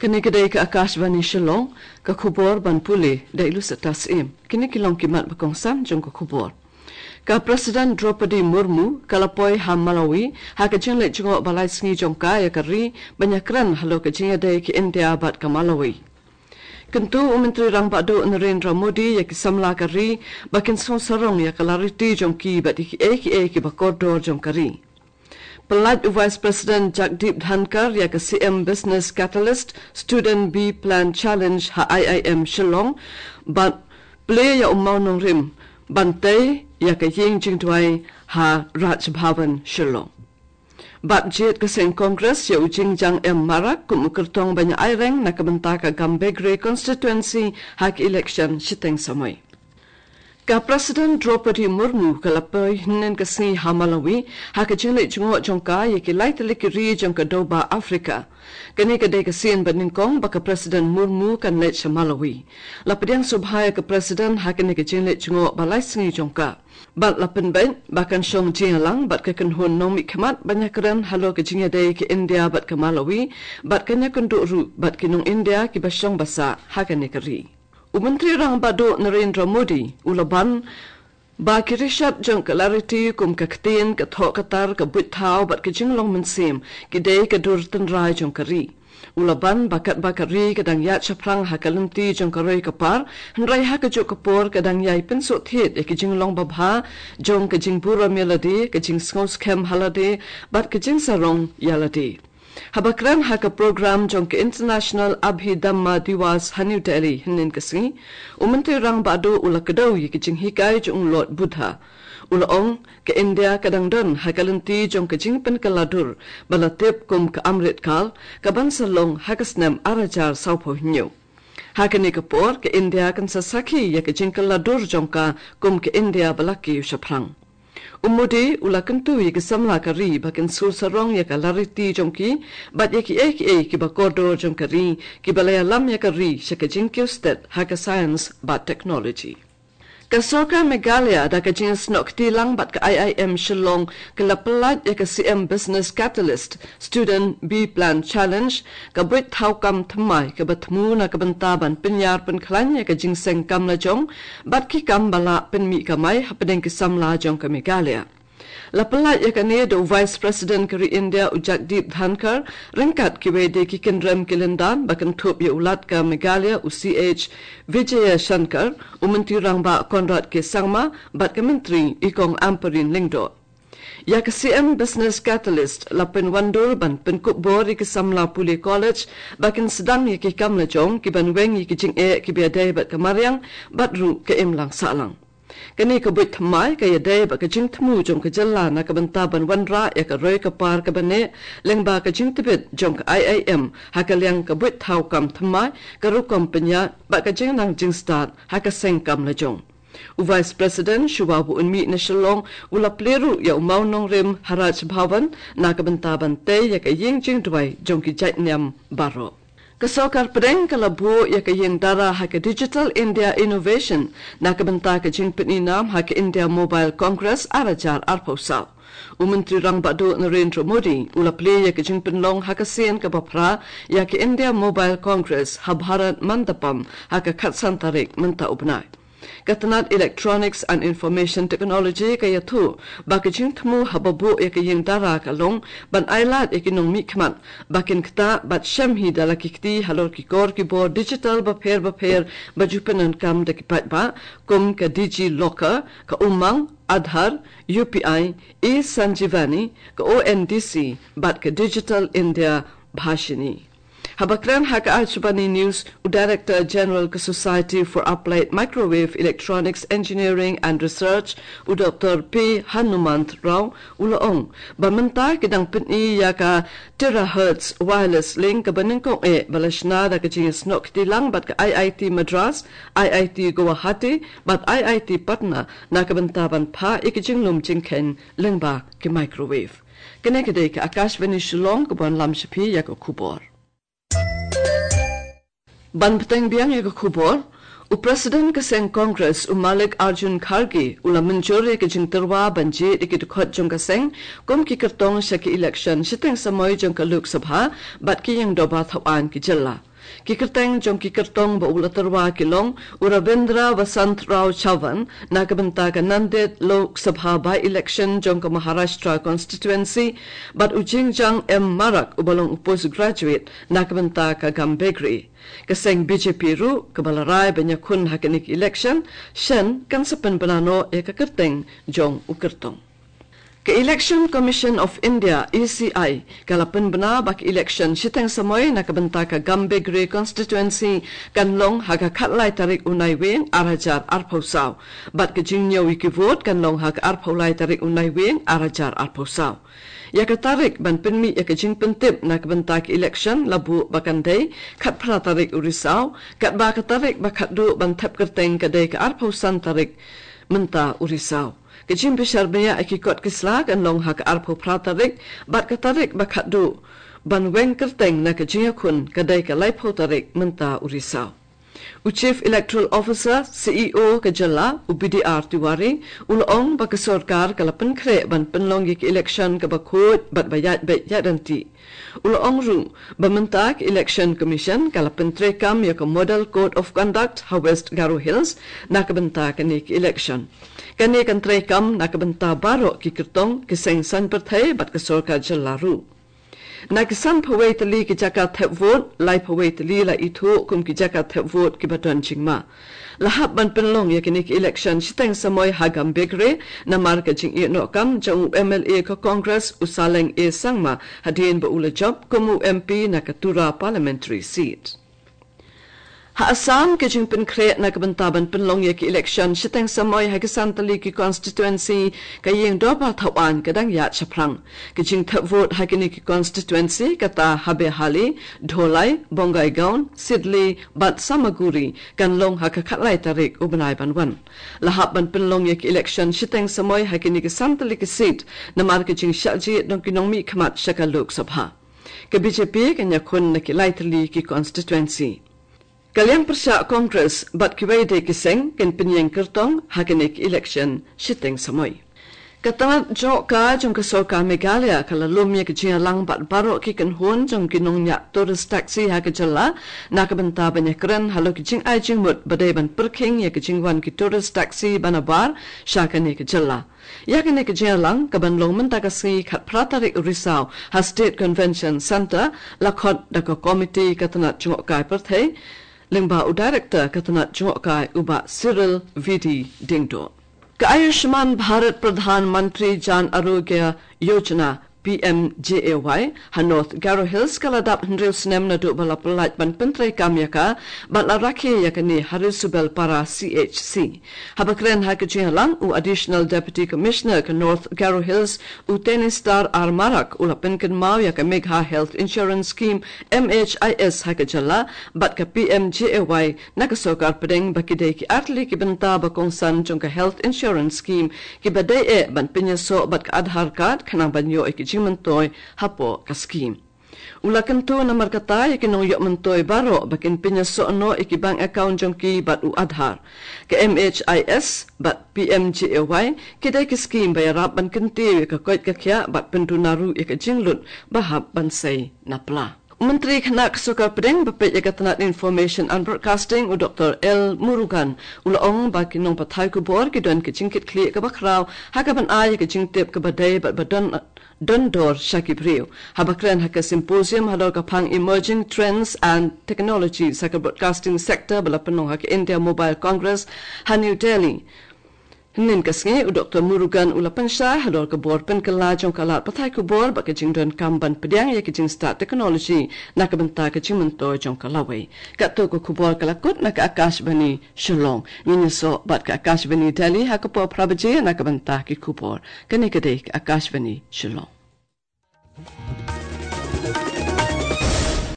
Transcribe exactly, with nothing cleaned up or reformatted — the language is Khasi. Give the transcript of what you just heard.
Kane ka dei ka Akashvani Shillong, ka khubor ban pule da i Lucetta Syiem. Kine ki long ki mat ba kongsan jong ka khubor. Ka President Droupadi Murmu ka la poi ha Malawi ha ka jingleit jngoh ba lai sngi jong ka ïa ka ri ban ïakren halor ka jingïadei ka India bad ka Malawi. Kyntu u Myntri Rangbah Duh Narendra Modi ïa ki samla ka ri ba kin sngewsarong ïa ka lariti jong ki bad ïa kiei kiei kiba kordor jong ka ri. Pyllait u Vice President Jagdeep Dhankhar ïa ka C M Business Catalyst Student B Plan Challenge ha I I M Shillong bad plie ïa u mawnongrim ban tei ïa ka ïing jingduwai ha Raj Bhavan Shillong. Bad jied ka seng Congress ïa u Jingjang M Marak kum u kyrtong ban ïa aireng na ka bynta ka Gambegre constituency ha ka election shiteng samoi. Ka President Droupadi Murmu ka la poi hynnin ka sngi ha Malawi ha ka jingleit jngoh jong ka ïa ki lai tylli ki ri jong ka dewbah Africa. Kane ka dei ka sien ba nyngkong ba ka President Murmu kan leit sha Malawi. La pdiang sngewbha ïa ka President ha kane ka jingleit jngoh ba lai sngi jong ka. Bad la pynbeit ba kan shong jingïalang bad ka kynhun nongmihkhmat ban ïakren halor ka jingïadei ka India bad ka Malawi bad kan ïakynduh ruh bad ki nong India kiba shong ba sah ha kane ka ri. U Myntri Rangbah Duh Narendra Modi u la ban ba ki rishot jong ka lariti kum ka ktien, ka thoh ka tar, ka buit thaw bad ka jinglong mynsiem ki dei ka dur tynrai jong ka ri. U la ban ba katba ka ri ka dang ïaid shaphrang ha ka lynti jong ka roi ka par, hynrei ha kajuh ka por ka dang ïai pynsuhthied ïa ki jinglong babha jong ka jingburom ïa lade, ka jingsngew skhem ha lade bad ka jingsarong ïa lade. Haba kren ha ka program jong ka International Abhidhamma Diwas ha New Delhi hynnin ka sngi, u Myntri Rangbah Duh u la kdew ïa ki jinghikai jong u Lord Buddha. U la ong, ka India ka dang don ha ka lynti jong ka jingpynkylla dur ba la tip kum ka Amrit Kal, ka ban sa long ha ka snem ar hajar sawphew hynñiew. Ha kane ka por ka India kan sa sakhi ïa ka jingkylla dur jong ka kum ka India ba la kiew shaphrang. U Modi u la kyntu ïa ki samla ka ri ba kin sngewsarong ïa ka lariti jong ki bad ïa kiei kiei kiba kordor jong ka ri kiba la ïalam ïa ka ri sha ka jingkiew stet ha ka science bad technology. Ka Sorkar Meghalaya da ka jingsnoh kti lang bad ka I I M Shillong ka la pyllait ïa ka C M Business Catalyst Student B Plan Challenge, ka buit thaw kam thymmai kaba thmu na ka bynta ban pynïar pynkhlaiñ ïa ka jingseng kam lajong bad ki kam ba lah pynmih kamai hapdeng ki samla jong ka Meghalaya. La pyllait ïa kane da u Vice President ka ri India u Jagdeep Dhankhar ryngkat kiwei de ki kynrem ki lyndan ba kynthup ïa u Lat ka Meghalaya u C H Vijayashankar, u Myntri Rangbah Conrad K Sangma bad ka Myntri i Kong Ampareen Lyngdoh. Ïa ka C M Business Catalyst la pynwandur ban pynkup bor ïa ki samla pule college ba kin sdang ïa ki kam lajong kiban weng ïa ki jingeh kiba ïadei bad ka mariang bad ruh ka imlang sahlang. Kane ka buit thymmai ka ïadei bad ka jingthmu jong ka jylla na ka bynta ban wanrah ïa ka roi ka par kaba neh lyngba ka jingtbit jong ka I I M ha ka liang ka buit thaw kam thymmai, ka rukom pynïaid bad ka jingnang jingstad ha ka seng kam lajong. U Vice President shuwa ba un mih na Shillong u la plie ruh ïa u mawnongrim ha Raj Bhavan na ka bynta ban tei ïa ka ïing jingduwai jong ki jait niam baroh. Ka Sorkar Pdeng ka la buh ïa ka ïing dara ha ka Digital India Innovation na ka bynta ka jingpyni nam ha ka India Mobile Congress ar hajar arphew saw. U Myntri Rangbah Duh Narendra Modi u la plie ïa ka jingpynlong ha ka sien kaba phra ïa ka India Mobile Congress ha Bharat Mandapam ha ka khatsan tarik mynta u bnai. Ka tnat Electronics and Information Technology ka ïathuh ba ka jingthmu haba buh ïa ka ïing dara ka long ban ailad ïa ki nongmihkhmat ba kin ktah bad shem hi da la ki kti halor ki kor ki bor digital bapher bapher ba ju pyndonkam da ki paidbah kum ka DigiLocker, ka Umang, Aadhaar, U P I, eSanjeevani, ka O N D C bad ka Digital India Bhashini. Haba kren ha ka Akashvani News, u Director General ka Society for Applied Microwave Electronics Engineering and Research, u Doctor P Hanumant Rao, u la ong ba mynta ki dang pyni ïa ka terahertz wireless link kaba nyngkong eh ba la shna da ka jingïasnoh kti lang bad ka I I T Madras, I I T Guwahati bad I I T Patna na ka bynta ban phah ïa ka jinglum jingkheiñ lyngba ki microwave. Kane ka dei ka Akashvani Shillong kaba wanlam sha phi ïa ka khubor. Ban bteng biang ïa ka khubor, u President ka seng Congress u Mallikarjun Kharge u la mynjur ïa ka jingtyrwa ban jied ïa ki dkhot jong ka seng kum ki kyrtong sha ki election shiteng samoi jong ka Lok Sabha bad ki ïing dorbar thaw aiñ ki jylla. Ki kyrteng jong ki kyrtong ba u la tyrwa ki long u Ravindra Vasant Rao Chavan na ka bynta ka Nanded Lok Sabha by-election jong ka Maharashtra constituency, bad u Jingjang M Marak uba long u postgraduate na ka bynta ka Gambegre. Ka seng B J P ruh kaba la rai ban ïakhun ha kane ka election shen kan sa pynbna noh ïa ka kyrteng jong u kyrtong. Ka Election Commission of India, E C I, ka la pynbna ba ka election shiteng samoi na ka bynta ka Gambegre constituency kan long ha ka khatlai tarik u Naiwieng ar hajar arphew saw. Bad ka jingñiew ïa ki vote kan long ha ka arphew lai tarik u Naiwieng ar hajar arphew saw. Ïa ka tarik ban pynmih ïa ka jingpyntip na ka bynta ka election la buh ba kan dei khatphra tarik u Risaw, katba ka tarik ba khatduh ban thep kyrteng ka dei ka arphew san tarik mynta u Risaw. Ka jingbishar bniah ïa ki kot ki sla kan long ha ka arphew phra tarik, bad ka tarik ba khatduh ban weng kyrteng na ka jingïakhun ka dei ka laiphew tarik mynta u Risaw. U Chief Electoral Officer, C E O ka jylla, u B D R Tiwari, u la ong ba ka sorkar ka la pynkhreh ban pynlong ïa ka election kaba khuid bad ba ïaid beit ïaid ryntih. U la ong ruh ba mynta ka Election Commission ka la pyntreikam ïa ka Model Code of Conduct ha West Garo Hills na ka bynta kane ka election. Kane kan treikam na ka bynta baroh ki kyrtong, ki seng saiñ pyrthei bad ka sorkar jylla ruh. Na ki sanphew wei tylli ki jaka thep vote, laiphew wei tylli la ithuh kum ki jaka thep vote kiba don jingma. La hap ban pynlong ïa kane ka election shiteng samoi ha Gambegre namar ka jingïehnoh kam jong u M L A ka Congress u Saleng A Sangma hadien ba u la jop kum u M P na ka Tura Parliamentary Seat. Ha Assam, ka jingpynkhreh na ka bynta ban pynlong ïa ka election shiteng samoi ha ki san tylli ki constituency ka ïing dorbar thaw aiñ ka dang ïaid shaphrang. Ka jingthep vote ha kine ki constituency kata ha Behali, Dholai, Bongaigaon, Sidli bad Samaguri kan long ha ka khatlai tarik u bnai ban wan. La hap ban pynlong ïa ka election shiteng samoi ha kine ki san tylli ki seat namar ka jingshah jied jong ki nongmihkhmat sha ka Lok Sabha. Ka B J P kan ïakhun na ki lai tylli ki constituency. Ka liang pyrshah Congress bad kiwei de ki seng kin pynïeng kyrtong ha kane ka election shiteng samoi. Ka tnat jngohkai jong ka sorkar Meghalaya ka la lum ïa ka jingïalang bad baroh ki kynhun jong ki nongñiah tourist taxi ha ka jylla na ka bynta ban ïakren halor ki jingai jingmut ba dei ban pyrkhing ïa ka jingwan ki tourist taxi ba nabar sha kane ka jylla. Ïa kane ka jingïalang kaban long mynta ka sngi khatphra tarik u Risaw ha State Convention Centre, la khot da ka komiti ka tnat jngohkai pyrthei lyngba u director ka tnat jngohkai u Bah Cyril V D Diengdoh. Ka Ayushman Bharat Pradhan Mantri Jan Arogya Yojana, P M J A Y, ha North Garo Hills ka la dap hynriew snem naduh ba la pyllait ban pyntreikam ïa ka bad la rakhe ïa kane ha Risubelpara C H C. Haba kren ha ka jingïalang u Additional Deputy Commissioner ka North Garo Hills u Tenistar R Marak u la pynkynmaw ïa ka Megha Health Insurance Scheme, M H I S, ha ka jylla bad ka P M J A Y na ka sorkar pdeng ba ki dei ki artylli ki bynta ba kongsan jong ka Health Insurance Scheme kiba dei eh ban pynïasoh bad ka Aadhaar card khnang ban ïoh ïa ki jingmyntoi hapoh ka scheme. U la kyntu namar kata ïa ki nongïoh myntoi baroh ba kin pynïasoh noh ïa ki bank account jong ki bad u Aadhaar. Ka M H I S bad P M J A Y ki dei ki scheme ba ïarap ban kyntiew ïa ka koit ka khiah bad pynduna ruh ïa ka jinglut ba hap ban sei na pla. U Myntri Khynnah ka Sorkar Pdeng ba peit ïa ka tnat Information and Broadcasting u Doctor L Murugan u la ong ba ki nongpathai khubor ki don ka jingkitkhlieh kaba khraw ha kaban ai ïa ka jingtip kaba dei bad ba don don dor sha ki briew. Haba kren ha ka symposium halor ka phang Emerging Trends and Technologies ha ka broadcasting sector ba la pynlong ha ka India Mobile Congress ha New Delhi hynnin ka sngi, u Doctor Murugan u la pynshai halor ka bor pynkylla jong ka lad pathai khubor bad ka jingdonkam ban pdiang ïa ka jingstad technology na ka bynta ka jingmyntoi jong ka lawei. Katto ka khubor ka la kut na ka Akashvani Shillong. Ngin ïasoh bad ka Akashvani Delhi ha ka por phra baje na ka bynta ki khubor. Kane ka dei ka Akashvani Shillong.